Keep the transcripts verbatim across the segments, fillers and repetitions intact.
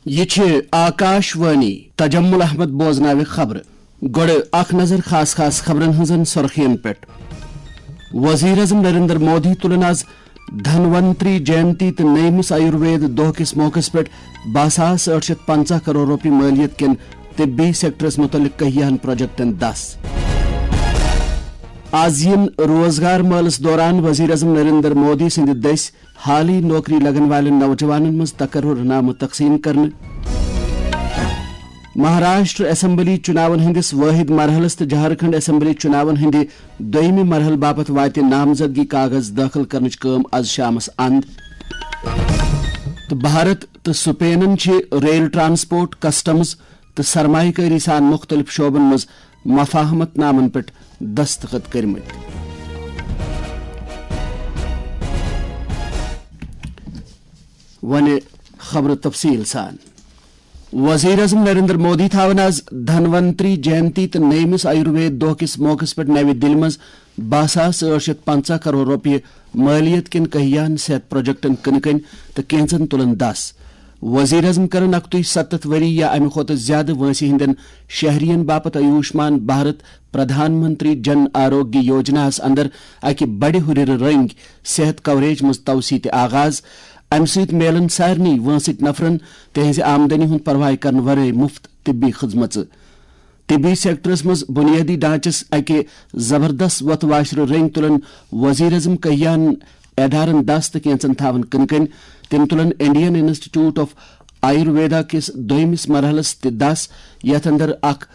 یہِ چھِ آکاش وانی۔ تجمل احمد بوزناوِ خبرٕ۔ گۄڈٕ اکھ نظر خاص خاص خبرن ہٕنٛزن سرخین پٮ۪ٹھ۔ وزیر اعظم نریندر مودی تُلن آز دھنونتری جینتی تہٕ نٔیمِس آیُروید دۄہ کِس موقعس پٮ۪ٹھ باہ ساس ٲٹھ شیٚتھ پنٛژاہ کرور رۄپیہِ مٲلیت کٮ۪ن طبی سیکٹرس مُتعلق کہیاہن پروجیکٹن دس۔ آز یِن روزگار مٲلس دوران وزیر اعظم نریندر مودی سٕنٛدِ دٔسۍ حالٕے نوکری لگن والٮ۪ن نوجوانن منٛز تقرر نامہٕ تقسیٖم کرنہٕ۔ مہاراشٹر اسمبلی چُناون ہٕنٛدِس وٲحد مرحلس تہٕ جھارکھنڈ اسمبلی چُناون ہٕنٛدِ دوٚیمہِ مرحلہٕ باپتھ واتہِ نامزدگی کاغذ دٲخل کرنٕچ کٲم از شامس اند۔ تہٕ بھارت تہٕ سپینن چھِ ریل ٹرانسپورٹ، کسٹمز تہٕ سرمایہ کٲری سان مُختٔلِف شعبن منٛز مفاہمت نامن پٮ۪ٹھ دستخط کٔرمٕتۍ۔ وۄنہِ خبرٕ تفصیٖل سان۔ وزیر اعظم نریندر مودی تھاون آز دھنونتری جینتی تہٕ نٔیمِس آیُروید دۄہ کِس موقعس پٮ۪ٹھ نَوِ دِلہِ منٛز باہ ساس ٲٹھ شیٚتھ پنٛژاہ کرور رۄپیہِ مٲلیت کٮ۪ن کہیاہن صحت پروجیکٹن کٕنہٕ کٔنۍ تہٕ کینژن تُلن دس۔ وزیر اعظم کرن اکتُے ستتھ ؤری یا امہِ کھۄتہٕ زیادٕ وٲنٛسہِ ہٕنٛدٮ۪ن شہرین باپتھ آیوشمان بھارت پردھان منتری جن آروگیہ یوجناہس اندر اکہِ بڑِ ہُرٮ۪ر رٔنگۍ صحت کوریج منٛز توسیع تہِ آغاز۔ امہِ سۭتۍ میلن سارنٕے وٲنٛسٕکۍ نفرن تِہنٛزِ آمدنی ہُنٛد پرواے کرنہٕ ورٲے مُفت طبی خدمژٕ۔ طبی سیکٹرس منٛز بنیٲدی ڈھانچس اکہِ زبردست وۄتھٕ واشرٕ رٔنگۍ تُلن وزیر اعظم کہیاہن ادارن دس تہٕ کینژن تھاون کٕنہٕ کٔنۍ۔ تِم تُلن انڈین انسٹیٹیوٹ آف آیورویدا کِس دوٚیمِس مرحلس تہِ دس، یتھ اندر اکھ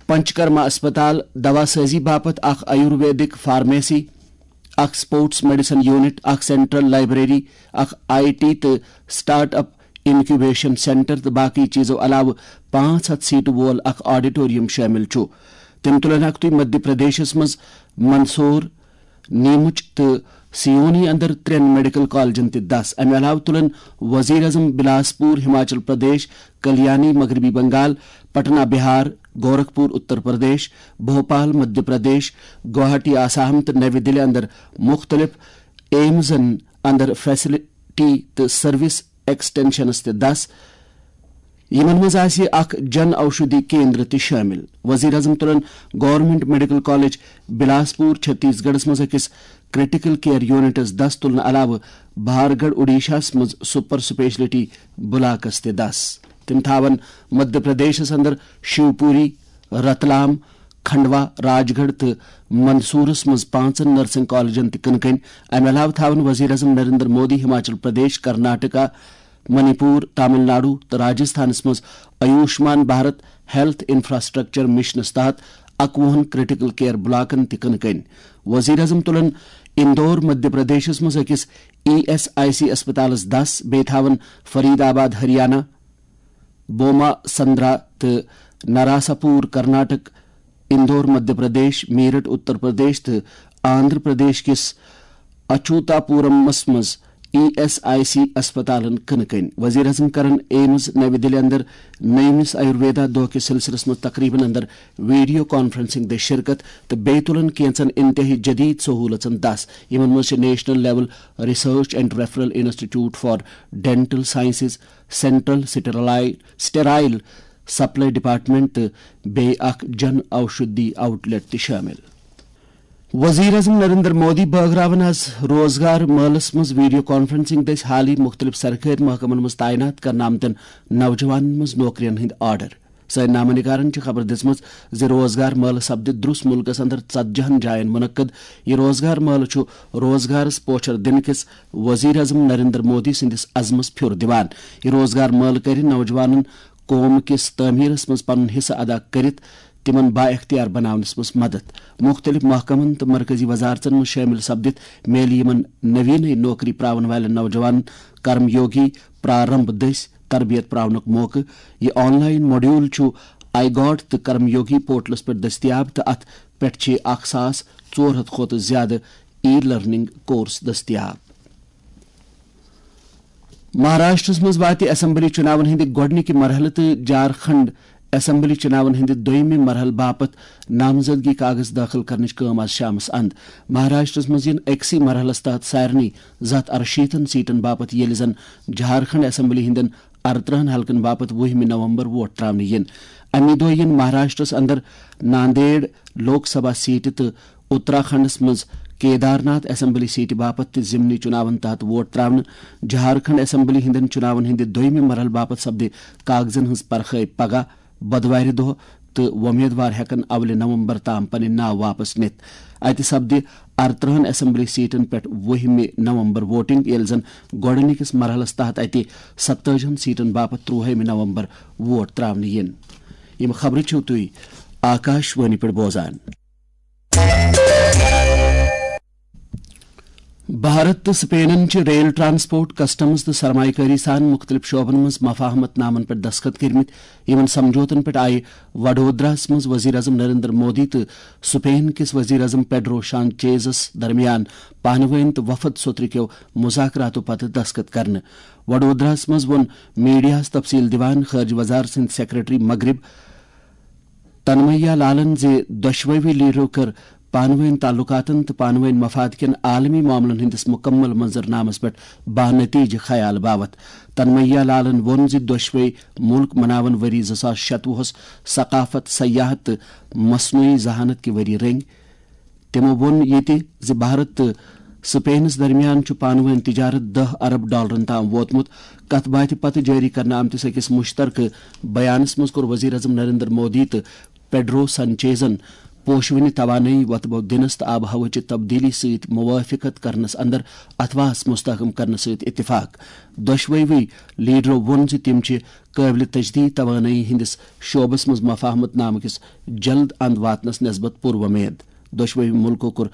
پنچکرما اسپتال، دوا سازی باپتھ اکھ آیورویدک فارمیسی، اکھ سپورٹس میڈیسن یونٹ، اکھ سینٹرل لائبریری، اکھ آئی ٹی تہٕ سٹارٹ اپ انکیوبیشن سینٹر تہٕ باقی چیزو علاوٕ پانٛژھ ہتھ سیٹہٕ وول اکھ آڈیٹوریم شٲمِل چھُ۔ تِم تُلن اکھ تُے مدھیہ پردیشس منٛز مندسور، نیمچ تہٕ سیونی اندر ترٛٮ۪ن میڈیکل کالجن تہِ دس۔ امہِ علاوٕ تُلن وزیر اعظم بلاسپور، ہماچل پردیش، کلیانی، مغربی بنگال، پٹنہ، بہار، گورکھپور، اتر پردیش، بھوپال، مدھیہ پردیش، گوہاٹی، آسام تہٕ نَوِ دِلہِ اندر مُختٔلِف ایمزن اندر فیسلٹی تہٕ سروس ایکسٹینشنس تہِ دس۔ یِمن منٛز آسہِ اکھ جن اوشدھی کیندر تہِ شٲمِل۔ وزیر اعظم تُلن گورنمنٹ میڈیکل کالج بلاسپور، چھتیس گڑھس منٛز أکِس کریٹیکل کیئر یونٹس دس تُلنہٕ علاوٕ بھارگڑھ، اوڈیشاہس منٛز سپر سپیشلٹی بلاکس تہِ دس۔ تِم تھاون مدھیہ پردیشس اندر شیوپوری، رتلام، کھنڈوا، راج گڑھ تہٕ مندسورس منٛز پانٛژن نرسنگ کالجن تہِ کٕنہٕ کٔنۍ۔ امہِ علاوٕ تھاون وزیر اعظم نریندر مودی ہماچل پردیش، کرناٹکا، منی پور، تامل ناڈو تہٕ راجستھانس منٛز Ayushman Bharat health infrastructure missions تحت اکوُہن کریٹیکل کیئر بلاکن تہِ کٕنہٕ کٔنۍ۔ وزیر اعظم تُلن اندور، مدھیہ پردیشس منٛز أکِس ای ایس آئی سی اسپتالس دس، بیٚیہِ تھاون فرید آباد، ہریانہ، بوما سندرا تہٕ نراساپور، کرناٹک، اندور، مدھیہ پردیش، میرٹھ، اتر پردیش تہٕ آندھرا پردیش کِس اچوتاپورمس منٛز ای ایس آئی سی اسپتالن کٕنہٕ کٔنۍ۔ وزیر اعظم کرن ایمز نَوِ دِلہِ اندر نٔیمِس آیورویدا دۄہ کِس سلسلس منٛز تقریبن اندر ویڈیو کانفرنسنگ دٔسۍ شرکت تہٕ بیٚیہِ تُلن کینژن انتہٲئی جدید سہولژن دس۔ یِمن منٛز چھِ national level research and referral institute for dental sciences, central sterile, sterile supply department تہٕ بیٚیہِ اکھ جن اوشدھی آؤٹ لیٹ تہِ شٲمِل۔ وزیر اعظم نریندر مودی بٲگراون آز روزگار مٲلس منٛز ویڈیو کانفرنسنگ دٔسۍ حالٕے مُختٔلِف سرکٲرۍ محکمن منٛز تعینات کرنہٕ آمتٮ۪ن نوجوانن منٛز نوکرین ہٕنٛدۍ آرڈر۔ سٲنۍ نامہ نگارن چھِ خبر دِژمٕژ زِ روزگار مٲلہٕ سپدِ درٛس مُلکس اندر ژتجی ہن جاین منعقد۔ یہِ روزگار مٲلہٕ چھُ روزگارس پوچھر دِنہٕ کِس وزیر اعظم نریندر مودی سٕنٛدِس عزمس پھیُر دِوان۔ یہِ روزگار مٲلہٕ کرِ نوجوانن قوم کِس تعمیرس منٛز پنُن حصہٕ ادا کٔرِتھ تِمن با اختیار بناونس منٛز مدد۔ مُختٔلِف محکمن تہٕ مرکزی وزارژن منٛز شٲمِل سپدِتھ میلہِ یِمن نوینٕے نوکری پراون والٮ۪ن نوجوانن کرم یوگی پرارمب دٔسۍ تربیت پراونُک موقعہٕ۔ یہِ آن لائن ماڈیول چھُ آئی گاٹ تہٕ کرم یوگی پورٹلس پٮ۪ٹھ دٔستیاب تہٕ اتھ پٮ۪ٹھ چھِ اکھ ساس ژور ہتھ کھۄتہٕ زیادٕ ای لرننگ کورس دٔستیاب۔ مہاراشٹرس منٛز واتہِ اسمبلی چُناون ہٕنٛدِ گۄڈٕنِکہِ مرحلہٕ تہٕ جھارکھنڈ اسمبلی چُناون ہٕنٛدِ دوٚیمہِ مرحلہٕ باپتھ نامزدگی کاغذ دٲخل کرنٕچ کٲم آز شامس اند۔ مہاراشٹرس منٛز یِن أکسٕے مرحلس تحت سارنٕے زٕ ہتھ ارشیٖتن سیٹن باپتھ، ییٚلہِ زن جھارکھنڈ اسمبلی ہٕنٛدٮ۪ن ارترہن حلقن باپتھ وُہمہِ نومبر ووٹ تراونہٕ یِن۔ امی دۄہ یِن مہاراشٹرس اندر ناندیڑ لوک سبھا سیٹہِ تہٕ اتراکھنڈس منٛز کیدارناتھ اسمبلی سیٹہِ باپتھ تہِ ضمنی چُناون تحت ووٹ تراونہٕ۔ جھارکھنڈ اسمبلی ہٕنٛدٮ۪ن چُناون ہٕنٛدِ دوٚیمہِ مرحلہٕ باپتھ سپدِ کاغذن ہٕنٛز پرخٲے پگاہ، بۄدوارِ دۄہ، تہٕ وۄمیدوار ہٮ۪کن اولہِ نومبر تام پنٕنۍ ناو واپس نِتھ۔ اتہِ سپدِ ارترہن اسمبلی سیٹن پٮ۪ٹھ وُہمہِ نومبر ووٹنگ، ییٚلہِ زن گۄڈٕنِکِس مرحلس تحت اتہِ ستتٲجہن سیٹن باپتھ ترٛوہمہِ نومبر ووٹ تراونہٕ یِن۔ یِم خبرٕ چھِو تُہۍ آکاش وانی پٮ۪ٹھ بوزان۔ بھارت تہٕ سپینن چھِ ریل ٹرانسپورٹ، کسٹمز تہٕ سرمایہ کٲری سان مُختٔلِف شعبن منٛز مفاہمت نامن پٮ۪ٹھ دستخط کٔرمٕتۍ۔ یِمن سمجھوتن پٮ۪ٹھ آیہِ وڈودراہس منٛز وزیر اعظم نریندر مودی تہٕ سپین کِس وزیر اعظم پیڈرو سانچیزس درمیان پانہٕ وٲنۍ تہٕ وفد سوٚترٕ کیو مذاکراتو پتہٕ دستخط کرنہٕ۔ وڈودراہس منٛز ووٚن میڈیاہس تفصیل دِوان خارجہ وزارت سٕنٛدۍ سیکرٹری مغرب تنمیا لالن زِ دۄشوٕے لیڈرو کٔر پانہٕ وٲنۍ تعلقاتن تہٕ پانہٕ وٲنۍ مفاد کٮ۪ن عالمی معاملن ہٕنٛدِس مُکمل منظرنامس پٮ۪ٹھ با نتیجہٕ خیال باوتھ۔ تنمیا لالن ووٚن زِ دۄشوٕے مُلک مناون ؤری زٕ ساس شتوُہس ثقافت، سیاحت تہٕ مصنوعی ذہانت کہِ ؤری رٔنگۍ۔ تِمو ووٚن یہِ تہِ زِ بھارت تہٕ سپینس درمیان چھُ پانہٕ وٲنۍ تجارت دہ ارب ڈالرن تام ووتمُت۔ کتھ باتھِ پتہٕ جٲری کرنہٕ آمتِس أکِس مُشترکہٕ بیانس منٛز کوٚر وزیر اعظم نریندر مودی تہٕ پیڈرو سانچیزن پوشوٕنہِ توانٲیی وۄتبو دِنس تہٕ آب و ہوہٕچہِ تبدیلی سۭتۍ موافقت کرنس اندر اتھواہس مستحکم کرنہٕ سۭتۍ اتفاق۔ دۄشوٕے لیڈرو ووٚن زِ تِم چھِ قٲبلِ تجدید توانٲیی ہٕنٛدِس شعبس منٛز مفاہمت نامہٕ کِس جلد اند واتنس نسبت پُر وۄمید۔ دۄشوٕے مُلکو کوٚر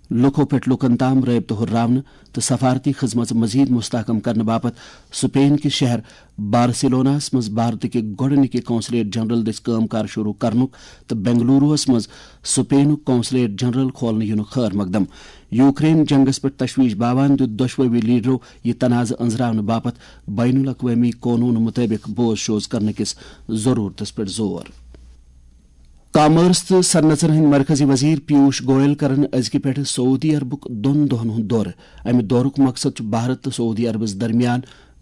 لوکو پٮ۪ٹھ لوکن تام رٲبطہٕ ہُرراونہٕ تہٕ سفارتی خدمژ مزید مستحکم کرنہٕ باپتھ سپین کِس شہر بارسلوناہس منٛز بھارتٕکہِ گۄڈٕنِکہِ قونصلیٹ جنرل دٔسۍ کٲم کار شروع کرنُک تہٕ بنگلوروہس منٛز سپینُک قونصلیٹ جنرل کھولنہٕ یِنُک خٲر مقدم۔ یوکرین جنگس پٮ۪ٹھ تشویش باوان دیُت دۄشوٕے لیڈرو یہِ تنازٕ أنزراونہٕ باپتھ بین الاقوٲمی قونوٗن مُطٲبِق بوز شوز کرنہٕ کِس ضروٗرتس پٮ۪ٹھ زور۔ کامرس تہٕ صنعژن ہٕنٛدۍ مرکزی وزیر پیوش گوئل کرن أزکہِ پٮ۪ٹھٕ سعودی عربُک دۄن دۄہن ہُنٛد دورٕ۔ امہِ دورُک مقصد چھُ بھارت تہٕ سعودی عربس درمیان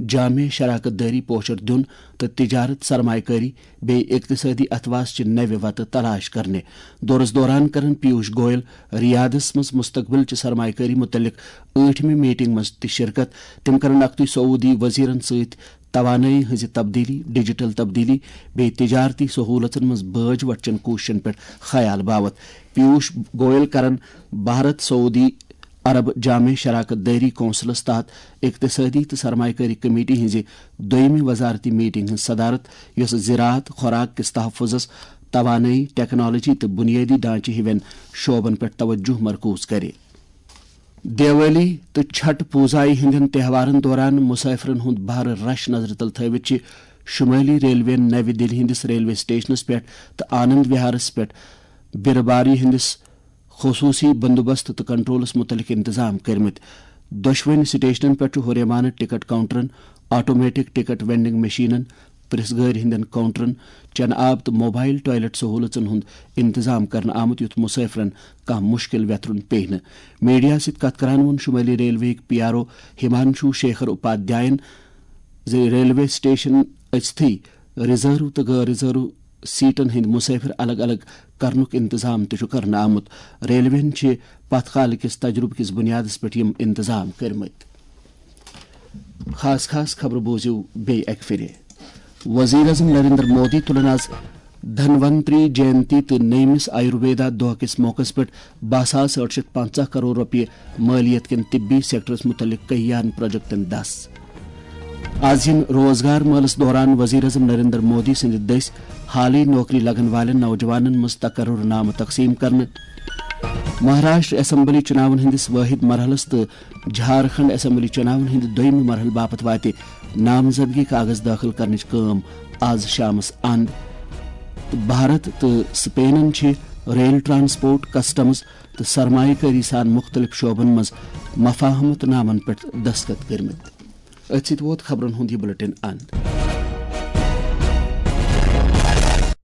جامع شراکت دٲری پوچھر دیُن تہٕ تجارت، سرمایہ کٲری بیٚیہِ اقتصٲدی اتھواس چہِ نوِ وتہٕ تلاش کرنہِ۔ دورس دوران کرن پیوش گوئل ریاضس منٛز مستقبل چہِ سرمایہ کٲری متعلق ٲٹھمہِ میٹنگ منٛز تہِ شرکت۔ تِم کرن اکھتُے سعودی وزیرن سۭتۍ توانٲیی ہٕنٛزِ تبدیلی، ڈیجیٹل تبدیلی بیٚیہِ تجارتی سہولژن منٛز بٲج وٹچن کوٗششن پٮ۪ٹھ خیال باوتھ۔ پیوش گوئل کرن بھارت سعودی عرب جامع شراکت دٲری کونسلس تحت اقتصٲدی تہٕ سرمایہ کٲری کمیٹی ہٕنٛزِ دوٚیمہِ وزارتی میٹنگ ہٕنٛز صدارت، یۄس زراعت، خوراک کِس تحفظس، توانٲیی، ٹیکنالوجی تہٕ بنیٲدی ڈھانچہٕ ہِوٮ۪ن شعبن پٮ۪ٹھ توجہ مرکوز کرِ۔ دیوالی تہٕ چھٹ پوزایہِ ہٕنٛدٮ۪ن تہوارن دوران مسافرن ہُنٛد بھارٕ رش نظرِ تل تھٲوِتھ چھِ شمٲلی ریلوین نوِ دِلہِ ہٕنٛدِس ریلوے سٹیشنس پٮ۪ٹھ تہٕ آنند وہارس پٮ۪ٹھ بیرٕ باری ہٕنٛدِس خصوٗصی بندوبست تہٕ کنٹرولس مُتعلق انتظام کٔرمٕتۍ۔ دۄشوٕنی سٹیشنن پٮ۪ٹھ چھُ ہُریمانہٕ ٹکٹ کاؤنٹرن، آٹومیٹک ٹکٹ وینڈنگ مشینن، پریس گٲڑۍ ہٕنٛدٮ۪ن کاؤنٹرن، چنہٕ آب تہٕ موبائل ٹوائلٹ سہولژن ہُنٛد انتظام کرنہٕ آمُت، یُتھ مسافرن کانٛہہ مشکل ویترُن پیٚیہِ نہٕ۔ میڈیاہَس سۭتۍ کتھ کران ووٚن شمٲلی ریلوے ہٕکۍ P R O Himanshu Shekhar اپادھیاین زِ ریلوے سٹیشن أژتھٕے ریزرو تہٕ غٲر ریزرو سیٹن ہٕنٛدۍ مسافر الگ الگ کرنُک انتظام تہِ چھُ کرنہٕ آمُت۔ ریلوین چھِ پتھ کالہٕ کِس تجربہٕ کِس بنیادس پٮ۪ٹھ یِم انتظام کٔرمٕتۍ۔ خاص خاص خبرٕ بوٗزِو بیٚیہِ اکہِ پھِرِ۔ وزیر اعظم نریندر مودی تُلن آز دھنونتری جینتی تہٕ نٔیمِس آیُرویدا دۄہ کِس موقعس پٮ۪ٹھ باہ ساس ٲٹھ شیتھ پنژاہ کرور رۄپیہِ مٲلیت کٮ۪ن طبی سیکٹرس مُتعلق کٔہیاہن پروجیکٹن دس۔ آز یِن روزگار مٲلس دوران وزیر اعظم نریندر مودی سٕنٛدِ دٔسۍ حالٕے نوکری لگن والٮ۪ن نوجوانن منٛز تقرر نامہٕ تقسیٖم کرنہٕ۔ مہاراشٹر اسمبلی چُناون ہٕنٛدِس وٲحد مرحلس تہٕ جھارکھنڈ اسمبلی چُناون ہٕنٛدِ دوٚیمہِ مرحلہٕ باپتھ واتہِ نامزدگی کاغذ دٲخل کرنٕچ کٲم آز شامس اند۔ تہٕ بھارت تہٕ سپینن چھِ ریل ٹرانسپورٹ، کسٹمز تہٕ سرمایہ کٲری سان مُختٔلِف شعبن منٛز مفاہمت نامن پٮ۪ٹھ دستخط کٔرمٕتۍ۔ أتھۍ سۭتۍ ووت خبرن ہُنٛد یہِ بلیٹن اند۔